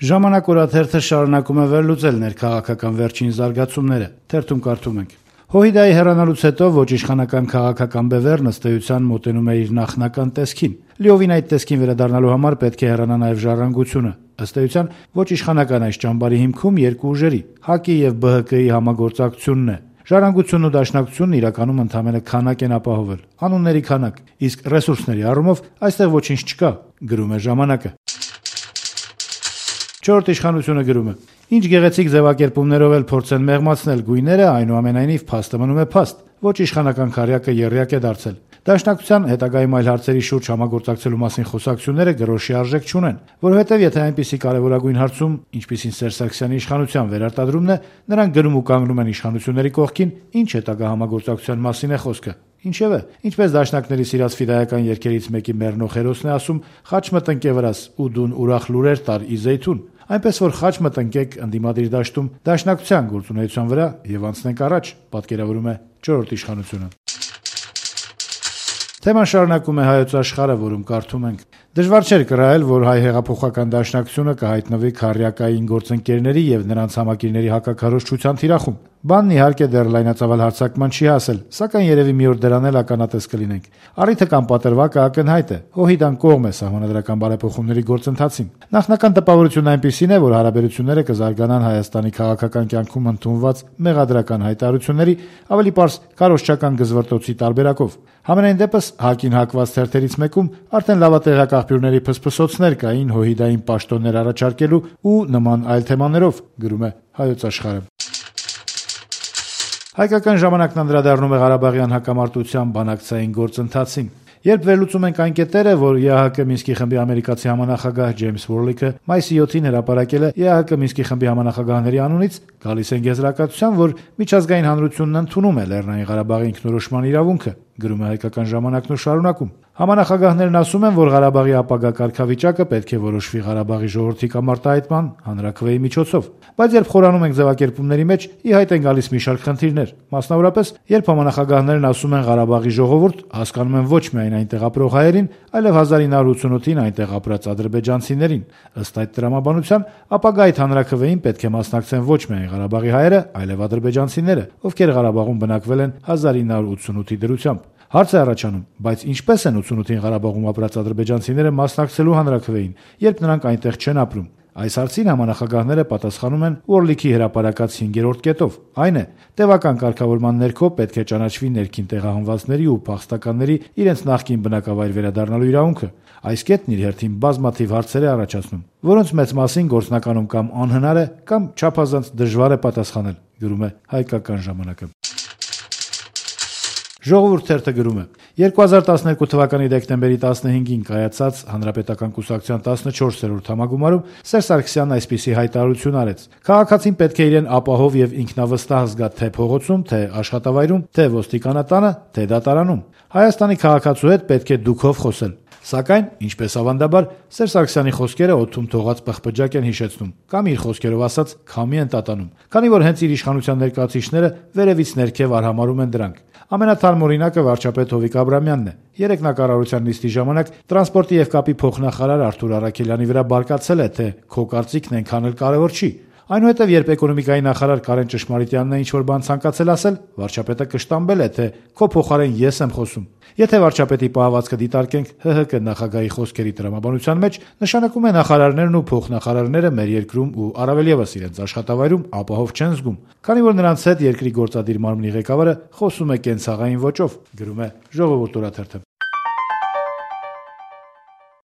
Ժամանակ օրաթերթը շարունակում է վերլուծել ներքաղաքական վերջին զարգացումները։ Թերթում կարդում ենք. Հոհիդայի հեռանալուց հետո ոչ իշխանական քաղաքական բևեռն ըստ էության մոտենում է իր նախնական տեսքին։ Լիովին այդ տեսքին վերադառնալու համար պետք է հեռանա նաև ժառանգությունը։ Ըստ էության ոչ իշխանական այս ճամբարի հիմքում երկու ուժերի՝ ՀԱԿ-ի եւ ԲՀԿ-ի համագործակցությունն է։ Ժառանգությունն ու Դաշնակցությունն իրականում ընդամենը քանակ են ապահովել, անունների քանակ, իսկ ռեսուրսների առումով այստեղ ոչինչ չկա, գրում է «Ժամանակը»։ Չորրորդ իշխանությունը գրում է. Ինչ գեղեցիկ ձևակերպումներով էլ փորձեն մեղմացնել գույները, այնուամենայնիվ փաստը մնում է փաստ։ Ոչ իշխանական քարյակը եռյակ է դարձել։ Դաշնակցության հետագայում այլ հարցերի շուրջ համագործակցելու մասին խոսակցությունները գրոշի արժեք չունեն, որովհետև եթե այնպիսի կարևորագույն հարցում, ինչպիսին Սերժ Սարգսյանի իշխանության վերարտադրումն է, նրանք գնում ու կանգնում են իշխանությունների կողքին, ինչ հետագա համագործակցության մասին է խոսքը։ Ինչևէ, ինչպես դաշնակների սիրած ֆիդայական երգերից մեկի մեռնող հերոսն է ասում, խաչ մտնկե վրաս ու դուն ուրախ լուրեր տար ի զեյթուն, այնպես որ խաչ մտնկեք ընդդիմադիր դաշտում դաշնակցության գործունեության վրա եւ անցնենք առաջ, պատկերավորում է չորրորդ իշխանությունը։ Թեման շարունակում է Հայոց Աշխարհը, որում կարդում ենք. Դժվար չէր կռահել, որ հայ հեղափոխական դաշնակցությունը կհայտնվի քարյակային գործընկերների եւ նրանց համակիրների հակաքարոզչության թիրախում։ Բանն իհարկե դեռ լայնածավալ հարձակման չի հասել, սակայն երևի մի օր դրան էլ ականատես կլինենք։ Առիթը կամ պատրվակը ակնհայտ է։ Հոհիդան կողմ է սահմանադրական բարեփոխումների գործընթացին։ Նախնական տպավորությունն այնպիսին է, որ հարաբերությունները կզարգանան Հայաստանի քաղաքական կյանքում ընդունված մեղադրական հայտարարությունների, ավելի պարզ քարոզչական գզվռտոցի տարբերակով։ Համենայն դեպս ՀԱԿ-ին հակված թերթերից մեկում արդեն լավատեղյակ աղբյուրների փսփսոցներ կային Հոհիդային պաշտոններ առաջարկելու ու նման այլ թեմաներով, գրում է Հայոց Աշխարհը։ Հայկական ժամանակն անդրադառնում է Ղարաբաղյան հակամարտության բանակցային գործընթացին։ Երբ վերլուծում ենք այն կետերը, որ ԵԱՀԿ Մինսկի խմբի ամերիկացի համանախագահ Ջեյմս Վորլիքը մայիսի 7-ին հրապարակել է ԵԱՀԿ Մինսկի խմբի համանախագահների անունից, գալիս են եզրակացության, որ միջազգային հանրությունն ընդունում է Լեռնային Ղարաբաղի ինքնորոշման իրավունքը, գրում է Հայկական ժամանակն ու շարունակում. Համանախագահներն ասում են, որ Ղարաբաղի ապագա կարգավիճակը պետք է որոշվի Ղարաբաղի ժողովրդի կամ արտահայտման հանրաքվեի միջոցով, բայց երբ խորանում ենք ձևակերպումների մեջ, ի հայտ են գալիս մի շարք խնդիրներ, մասնավորապես, երբ համանախագահներն ասում են Ղարաբաղի ժողովուրդ, հասկանում են ոչ միայն այնտեղ ապրող հայերին, այլև 1988-ին այնտեղ ապրած ադրբեջանցիներին։ Ըստ այդ տրամաբանության, ապագա այդ հանրաքվեին պետք է մասնակցեն ոչ միայն Ղարաբաղի հայերը, այլև ադրբեջանցիները, ովքեր Ղարաբաղում բնակվել են 1988-ի դրությամբ։ Հարց է առաջանում, բայց ինչպես են 88-ին Ղարաբաղում ապրած ադրբեջանցիները մասնակցելու հանրաքվեին, երբ նրանք այնտեղ չեն ապրում։ Այս հարցին համանախագահները պատասխանում են Օրլիքի հրապարակած 5-րդ կետով։ Այն է, տևական կարգավորման ներքո պետք է ճանաչվի ներքին տեղահանվածների ու փախստականների իրենց նախկին բնակավայր վերադառնալու իրավունքը։ Այս կետն իր հերթին բազմաթիվ հարցեր է առաջացնում, որոնց մեծ մասին գործնականում կամ անհնար է, կամ չափազանց դժվար է պատասխանել, գրում է Հայկական ժամանակը։ Ժողովուրդ թերթը գրում է. 2012 թվականի դեկտեմբերի 15-ին կայացած Հանրապետական կուսակցության 14-րդ համագումարում Սերժ Սարգսյանն այսպիսի հայտարարություն արեց. Քաղաքացին պետք է իրեն ապահով եւ ինքնավստահ զգա թե փողոցում, թե աշխատավայրում, թե ոստիկանատանը, թե դատարանում։ Հայաստանի քաղաքացու հետ պետք է դուքով խոսել։ Սակայն, ինչպես ավանդաբար, Սերժ Սարգսյանի խոսքերը օդում թողած պղպջակ են հիշեցնում, կամ իր խոսքերով ասած քամի են տատանում, քանի որ հենց իր իշխանության ներկայացուցիչները վերևից ներքև արհամարհում են դրանք։ Ամենաթարմ օրինակը վարչապետ Հովիկ Աբրամյանն է։ Երեք նա կառավարության նիստի ժամանակ տրանսպորտի եւ կապի փոխնախարար Արթուր Արաքելյանի վրա բարկացել է, թե քո կարծիքն այնքան էլ կարևոր չի։ Այնուհետև, երբ էկոնոմիկայի նախարար Կարեն Ճշմարիտյանն է ինչ-որ բան ցանկացել ասել, վարչապետը կշտամբել է, թե քո փոխարեն ես եմ խոսում։ Եթե վարչապետի պահվածքը դիտարկենք ՀՀԿ նախագահի խոսքերի տրամաբանության մեջ, նշանակում է նախարարներն ու փոխնախարարները մեր երկրում ու առավել եւս իրենց աշխատավայրում ապահով չեն զգում, քանի որ նրանց հետ երկրի գործադիր մարմնի ղեկավարը խոսում է կենցաղային ոճով, գրում է Ժողովուրդ օրաթերթը։